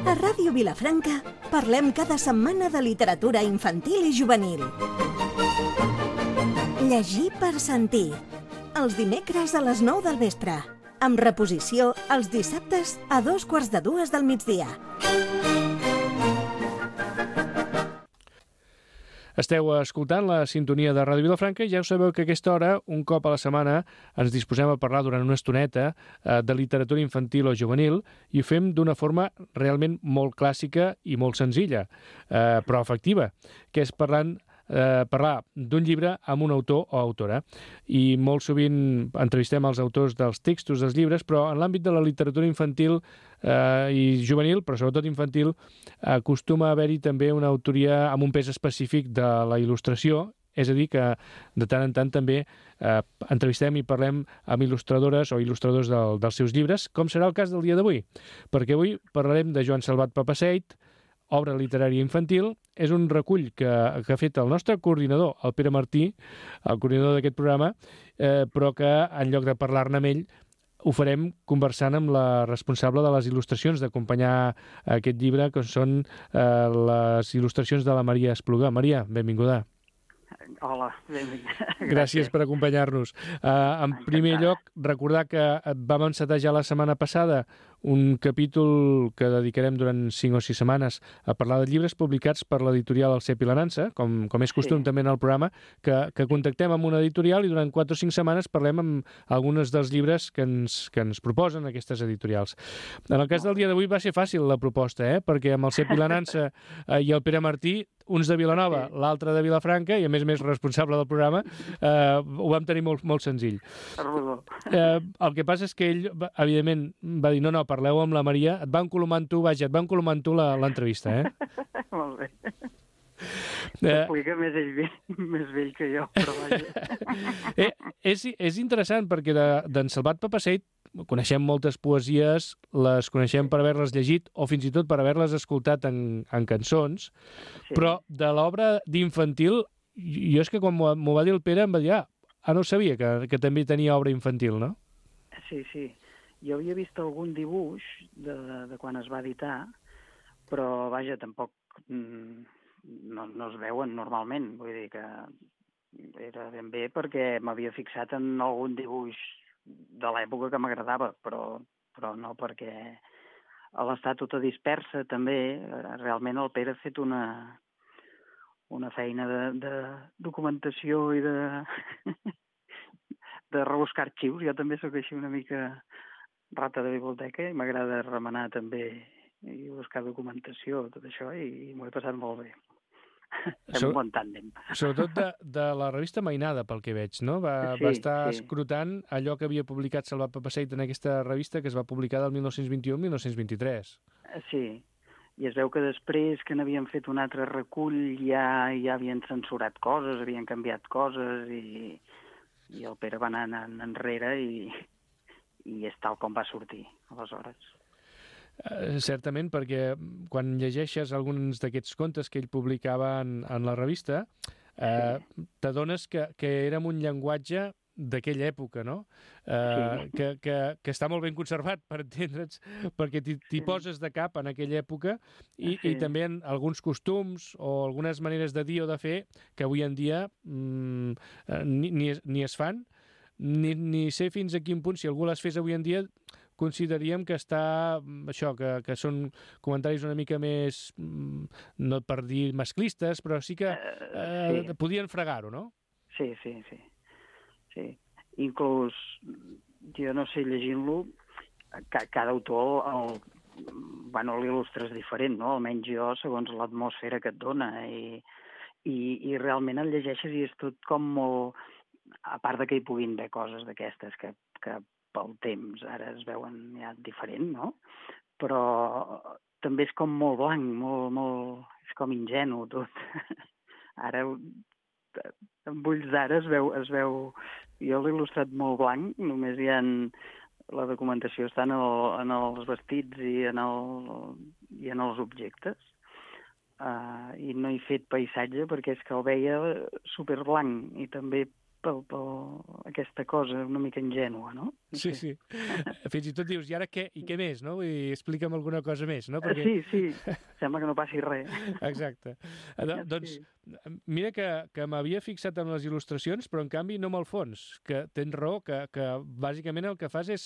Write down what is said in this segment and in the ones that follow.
A Ràdio Vilafranca parlem cada setmana de literatura infantil i juvenil. Llegir per sentir. Els dimecres a les 9 del vespre. Amb reposició els dissabtes a 2:45 del migdia. Esteu escoltant la sintonia de Ràdio Vilafranca i ja ho sabeu que a aquesta hora, un cop a la setmana, ens disposem a parlar durant una estoneta de literatura infantil o juvenil i ho fem d'una forma realment molt clàssica i molt senzilla, però efectiva, que és parlar d'un llibre amb un autor o autora. I molt sovint entrevistem els autors dels textos dels llibres, però en l'àmbit de la literatura infantil i juvenil, però sobretot infantil, acostuma a haver-hi també una autoria amb un pes específic de la il·lustració, és a dir, que de tant en tant també entrevistem i parlem amb il·lustradores o il·lustradors dels seus llibres, com serà el cas del dia d'avui, perquè avui parlarem de Joan Salvat Papaseit, obra literària infantil. És un recull que ha fet el nostre coordinador, el Pere Martí, el coordinador d'aquest programa, però que en lloc de parlar-ne amb ell ho farem conversant amb la responsable de les il·lustracions, d'acompanyar aquest llibre, que són les il·lustracions de la Maria Espluga. Maria, benvinguda. Hola, benvinguda. Gràcies per acompanyar-nos. En primer lloc, recordar que vam encetar ja la setmana passada un capítol que dedicarem durant 5 o 6 setmanes a parlar de llibres publicats per l'editorial El Cep i la Nansa, com és costum també en el programa, que contactem amb una editorial i durant 4 o 5 setmanes parlem amb alguns dels llibres que ens proposen aquestes editorials. En el cas del dia d'avui va ser fàcil la proposta, perquè amb El Cep i la Nansa i el Pere Martí, uns de Vilanova, l'altre de Vilafranca, i a més responsable del programa, ho vam tenir molt, molt senzill. El que passa és que ell, evidentment, va dir, no, parleu amb la Maria, et va encolomant tu l'entrevista, Molt bé. S'explica més vell que jo, però vaja. És interessant perquè d'en Salvat Papaseit coneixem moltes poesies, les coneixem per haver-les llegit o fins i tot per haver-les escoltat en cançons, però de l'obra d'infantil, jo és que quan m'ho va dir el Pere em va dir, no ho sabia, que també tenia obra infantil, no? Sí. Jo havia vist algun dibuix de quan es va editar, però vaja, tampoc no es veuen normalment, vull dir que era ben bé perquè m'havia fixat en algun dibuix de l'època que m'agradava, però no perquè a l'estar tota dispersa també, realment el Pere ha fet una feina de documentació i de rebuscar arxius. Jo també sóc així una mica rata de biblioteca i m'agrada remenar també i buscar documentació, tot això, i m'ho he passat molt bé. Fem un bon tàndem. Sobretot de la revista Mainada, pel que veig, no? Va estar escrutant allò que havia publicat Salvat Papaseit en aquesta revista, que es va publicar del 1921 al 1923. Sí, i es veu que després que n'havien fet un altre recull ja havien censurat coses, havien canviat coses, i el Pere va anar enrere i és tal com va sortir, aleshores. Certament, perquè quan llegeixes alguns d'aquests contes que ell publicava en la revista, t'adones que era un llenguatge d'aquella època, no? Que està molt ben conservat, per entendre'ns, perquè t'hi poses de cap en aquella època i també en alguns costums o algunes maneres de dir o de fer que avui en dia ni es fan, ni sé fins a quin punt, si algú les fes avui en dia, consideraríem que que són comentaris una mica més, no per dir masclistes, però sí que podien fregar-ho, no? Sí. Inclús, jo no sé, llegint-lo, cada autor l'il·lustres diferent, no? Almenys jo, segons l'atmosfera que et dona, i realment el llegeixes i és tot com molt... A part de que hi puguin haver coses d'aquestes que pel temps ara es veuen ja diferent, no? Però també és com molt blanc, molt és com ingenu tot. Ara, amb ulls d'ara es veu... Jo l'he il·lustrat molt blanc, només hi ha... La documentació està en els vestits i en els objectes. I no he fet paisatge perquè és que el veia superblanc i també aquesta cosa una mica ingènua, no? Sí, sí. Fins i tot dius, i ara què? I què més, no? I explica'm alguna cosa més, no? Perquè... Sí, sembla que no passi res. Exacte. Doncs Sí. mira que m'havia fixat en les il·lustracions, però en canvi no amb el fons, que tens raó, que bàsicament el que fas és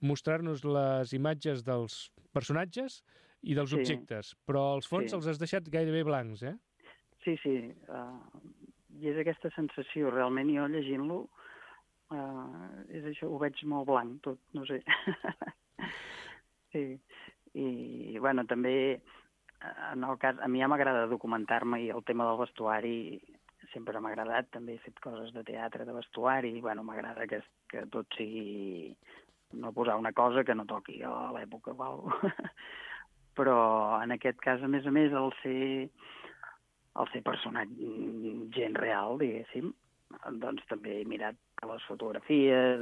mostrar-nos les imatges dels personatges i dels Sí, objectes, però els fons sí. els has deixat gairebé blancs, eh? Sí. I és aquesta sensació, realment jo llegint-lo, és això, ho veig molt blanc tot, no sé. Sí, i bueno, també en el cas, a mi ja m'agrada documentar-me i el tema del vestuari sempre m'ha agradat, també he fet coses de teatre, de vestuari, i bueno, m'agrada que tot sigui, no posar una cosa que no toqui a l'època o alguna cosa. Però en aquest cas, a més, el ser personatge, gent real, diguéssim, doncs també he mirat les fotografies,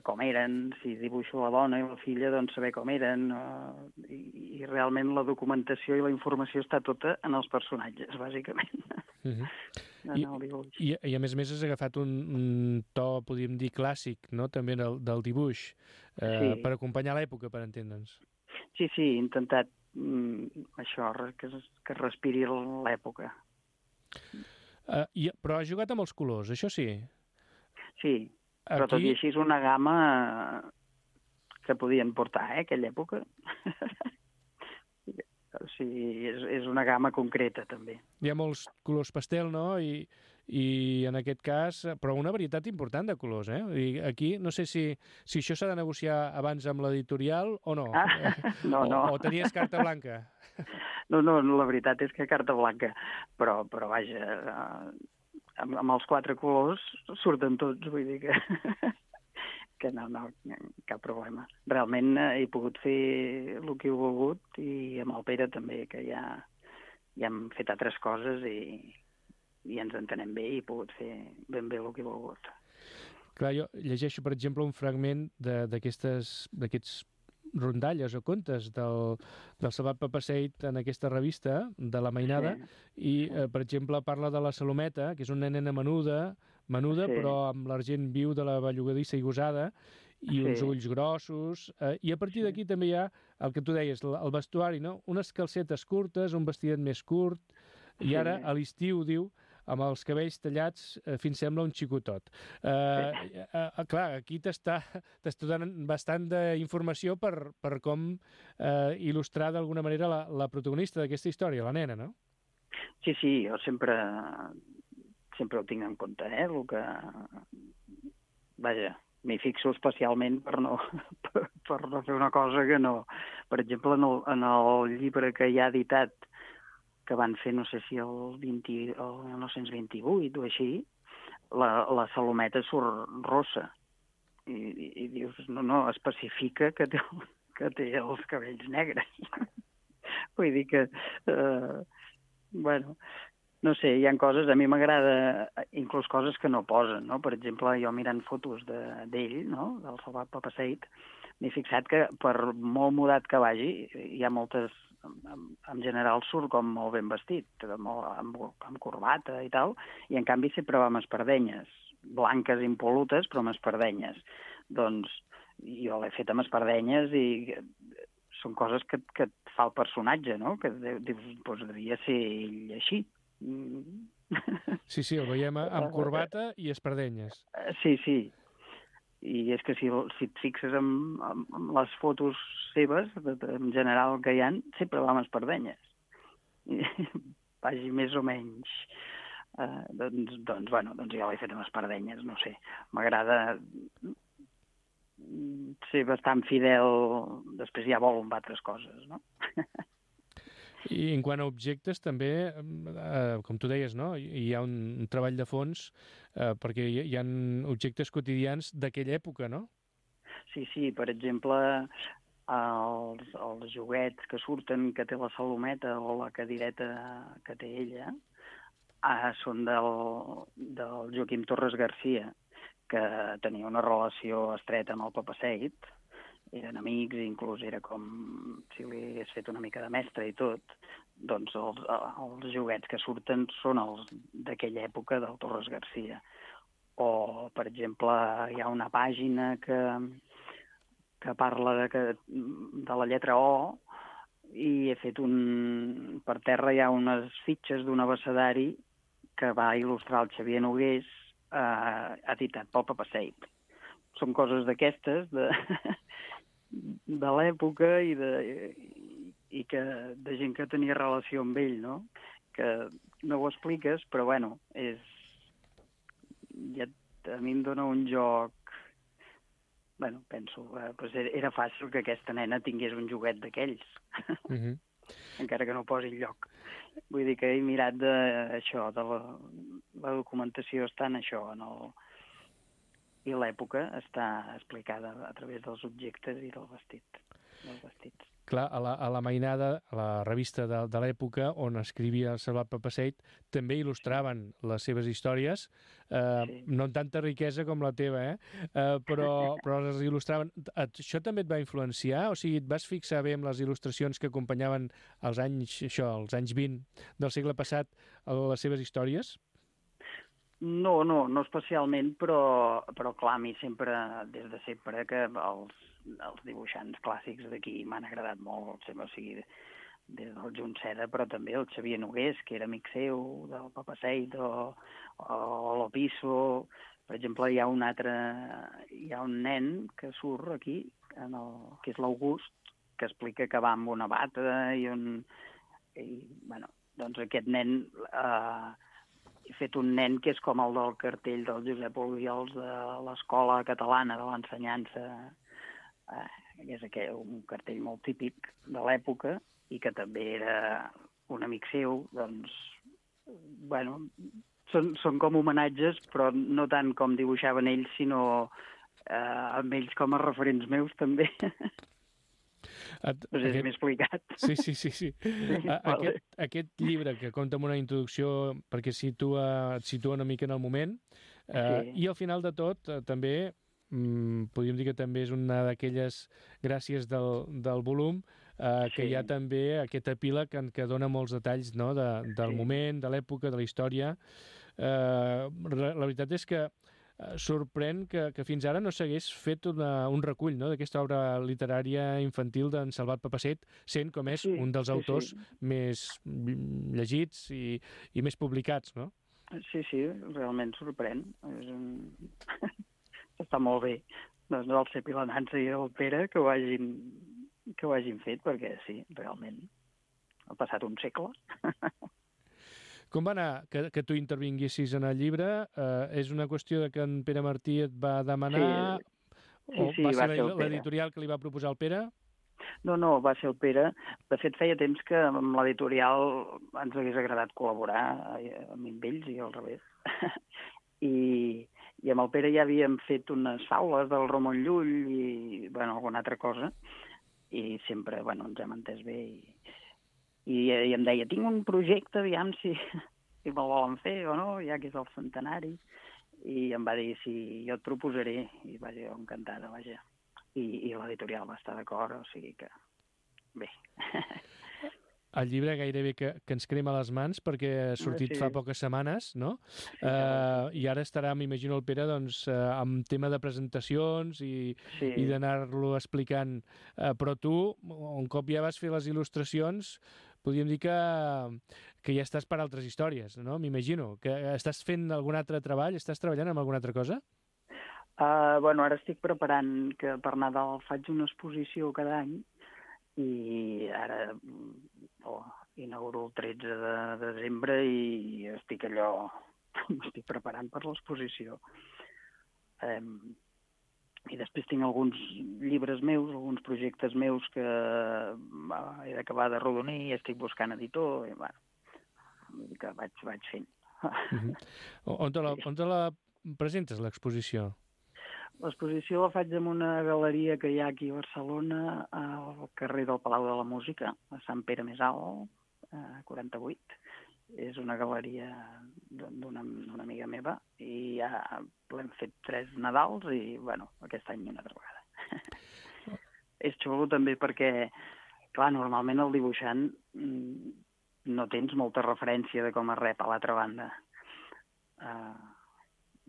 com eren, si dibuixo la dona i la filla, doncs saber com eren, i realment la documentació i la informació està tota en els personatges, bàsicament, en el dibuix. I a més has agafat un to, podríem dir, clàssic, no?, també del dibuix, Sí. per acompanyar l'època, per entendre'ns. Sí, he intentat això, que respiri l'època. Però has jugat amb els colors, això sí. Sí, però tot i així és una gamma que podien portar, aquella època. O sigui, és una gamma concreta, també. Hi ha molts colors pastel, no?, i en aquest cas, però una varietat important de colors, eh? I aquí no sé si això s'ha de negociar abans amb l'editorial o no. No. O tenies carta blanca. No, la veritat és que carta blanca, però vaja, amb els 4 colors surten tots, vull dir que no, cap problema. Realment he pogut fer el que he volgut i amb el Pere també, que ja hem fet altres coses i ens entenem bé i he pogut fer ben bé el que he volgut. Clar, jo llegeixo, per exemple, un fragment d'aquests rondalles o contes del Salvat Papasseit en aquesta revista de la Mainada, i, per exemple, parla de la Salometa, que és una nena menuda, però amb l'argent viu de la bellugadissa i gosada, i uns ulls grossos, i a partir d'aquí també hi ha el que tu deies, el vestuari, no? Unes calcetes curtes, un vestidet més curt, i ara a l'estiu, diu, amb els cabells tallats fins sembla un xicotot. Clar, aquí t'està donant bastant d'informació per com il·lustrar d'alguna manera la protagonista d'aquesta història, la nena, no? Sí, jo sempre ho tinc en compte, el que... Vaja, m'hi fixo especialment per no fer una cosa que no... Per exemple, en el llibre que hi ha editat, que van fer, no sé si el 1928 o així, la Salometa surt rossa. I dius, no, especifica que té els cabells negres. Vull dir que, bueno, no sé, hi ha coses, a mi m'agrada, inclús coses que no posen, no? Per exemple, jo mirant fotos d'ell, no?, del Salvat Papasseit, m'he fixat que per molt mudat que vagi, hi ha moltes... En general surt com molt ben vestit, amb corbata i tal, i en canvi sempre va amb espardenyes, blanques impolutes, però amb espardenyes. Doncs jo l'he fet amb espardenyes i són coses que et fa el personatge, no? Que dius, doncs devia ser ell així. Sí, el veiem amb corbata i espardenyes. Sí. I és que si et fixes en les fotos seves, en general que hi ha, sempre va amb espardenyes. Vagi més o menys. Doncs jo l'he fet amb espardenyes, no sé. M'agrada ser bastant fidel, després ja vol amb altres coses, no? I en quant a objectes, també, com tu deies, no?, hi ha un treball de fons, perquè hi ha objectes quotidians d'aquella època, no? Sí, per exemple, els joguets que surten, que té la Salometa o la cadireta que té ella, són del Joaquim Torres Garcia, que tenia una relació estreta amb el Papasseit, eren amics, inclús era com si li hagués fet una mica de mestre i tot. Doncs els joguets que surten són els d'aquella època del Torres Garcia. O, per exemple, hi ha una pàgina que parla de la lletra O, i he fet per terra hi ha unes fitxes d'un abecedari que va il·lustrar el Xavier Nogués, editat pel Papasseit. Són coses d'aquestes, de l'època i de gent que tenia relació amb ell, no? Que no ho expliques, però bueno, a mi em dona un joc. Bueno, penso, pues era fàcil que aquesta nena tingués un joguet d'aquells, encara que no posi lloc. Vull dir que he mirat d'això, de la documentació està en això, i l'època està explicada a través dels objectes i dels vestits. Clar, a la mainada, a la revista de l'època on escrivia el Salvat Papasseit, també il·lustraven les seves històries, no amb tanta riquesa com la teva, però les il·lustraven. Això també et va influenciar? O sigui, et vas fixar bé en les il·lustracions que acompanyaven els anys 20 del segle passat a les seves històries? No especialment, però clar, a mi sempre, des de sempre, que els dibuixants clàssics d'aquí m'han agradat molt, o sigui, des del Junceda, però també el Xavier Nogués, que era amic seu, del Papasseit, o l'Opisso. Per exemple, hi ha un nen que surt aquí, que és l'August, que explica que va amb una bata doncs aquest nen... He fet un nen que és com el del cartell del Josep Obiols de l'Escola Catalana de l'Ensenyança, que és un cartell molt típic de l'època i que també era un amic seu. Doncs, bueno, són com homenatges, però no tant com dibuixaven ells, sinó amb ells com a referents meus també. No sé si m'he explicat. Sí. Aquest llibre que compta amb una introducció perquè et situa una mica en el moment, i al final de tot també podríem dir que també és una d'aquelles gràcies del volum, que hi ha també aquest epíleg que dona molts detalls, no? Del moment, de l'època, de la història. La veritat és que sorprèn que fins ara no s'hagués fet un recull, no?, d'aquesta obra literària infantil d'en Salvat Papasseit, sent com és un dels autors més llegits i més publicats, no? Sí, realment sorprèn. Està molt bé. Doncs el Cep i la Nansa i el Pere que ho hagin fet, perquè sí, realment ha passat un segle. Com va anar que tu intervinguessis en el llibre? És una qüestió de que en Pere Martí et va demanar? Sí, va ser l'editorial que li va proposar el Pere? No, va ser el Pere. De fet, feia temps que amb l'editorial ens hagués agradat col·laborar amb ells i al revés. I amb el Pere ja havíem fet unes faules del Ramon Llull i alguna altra cosa, i sempre ens hem entès bé i em deia, tinc un projecte, aviam si me'l volen fer o no, ja que és el centenari, i em va dir, sí, jo et proposaré, i vaja, jo encantada, vaja. I l'editorial va estar d'acord, o sigui que bé. El llibre gairebé que ens crema les mans perquè ha sortit fa poques setmanes, no? I ara estarà, m'imagino, el Pere amb tema de presentacions i d'anar-lo explicant. Però tu, un cop ja vas fer les il·lustracions, podríem dir que ja estàs per altres històries, no? M'imagino. Que estàs fent algun altre treball? Estàs treballant en alguna altra cosa? Ara estic preparant que per Nadal faig una exposició cada any i ara inauguro el 13 de desembre i estic m'estic preparant per l'exposició. I després tinc alguns llibres meus, alguns projectes meus que he d'acabar de rodonir i estic buscant editor i que vaig fent. On te la presentes, l'exposició? L'exposició la faig en una galeria que hi ha aquí a Barcelona, al carrer del Palau de la Música, a Sant Pere Més Alt, 48. És una galeria d'una amiga meva i ja l'hem fet 3 Nadals i, aquest any una altra vegada. És xulo també perquè, clar, normalment el dibuixant no tens molta referència de com es rep a l'altra banda.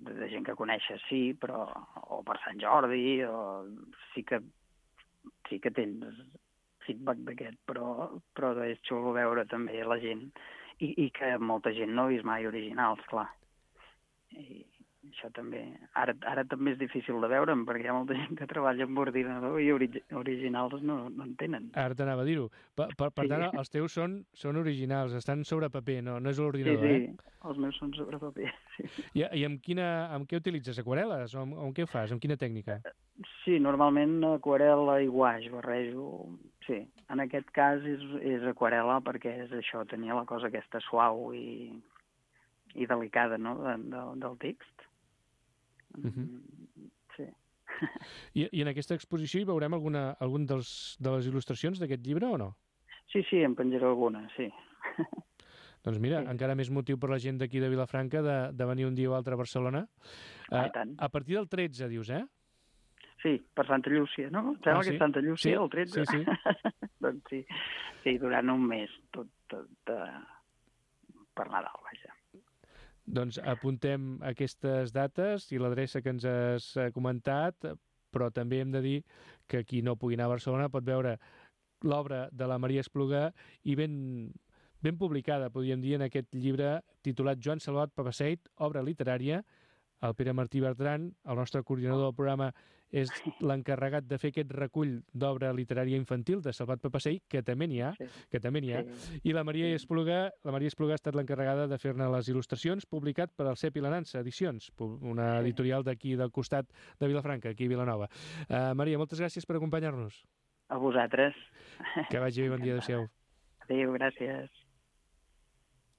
de gent que coneixes, sí, però o per Sant Jordi, o sí que tens feedback d'aquest, però és xulo veure també la gent i que molta gent no ha vist mai originals, clar. I això també... Ara també és difícil de veure'm, perquè hi ha molta gent que treballa amb ordinador i originals no en tenen. Ara t'anava a dir-ho. Per tant, els teus són originals, estan sobre paper, no és l'ordinador, sí, els meus són sobre paper, sí. I amb què utilitzes? Aquarel·les? O amb què ho fas? Amb quina tècnica? Sí, normalment aquarel·la i guaix barrejo. Sí, en aquest cas és aquarel·la perquè és això, tenia la cosa aquesta suau i delicada, no?, del text. Sí. I en aquesta exposició hi veurem algun de les il·lustracions d'aquest llibre o no? Sí, en penjaré alguna, sí. Doncs mira, sí. Encara més motiu per la gent d'aquí de Vilafranca de venir un dia o altre a Barcelona. Tant. A partir del 13, dius, eh? Sí, per Santa Llúcia, no? Em sembla que és Santa Llúcia, el 13. Sí. Doncs sí, durant un mes, tot per Nadal, vaja. Doncs apuntem aquestes dates i l'adreça que ens has comentat, però també hem de dir que qui no pugui anar a Barcelona pot veure l'obra de la Maria Espluga i ben publicada, podríem dir, en aquest llibre titulat Joan Salvat Papaseit, obra literària. El Pere Martí Bertran, el nostre coordinador del programa, és l'encarregat de fer aquest recull d'obra literària infantil de Salvat Papasseit, que també n'hi ha, i la Maria Espluga ha estat l'encarregada de fer-ne les il·lustracions, publicat per el Cep i la Nansa Edicions, una editorial d'aquí del costat de Vilafranca, aquí a Vilanova. Maria, moltes gràcies per acompanyar-nos. A vosaltres. Que vagi bé, bon dia, adéu-siau. Adéu, gràcies.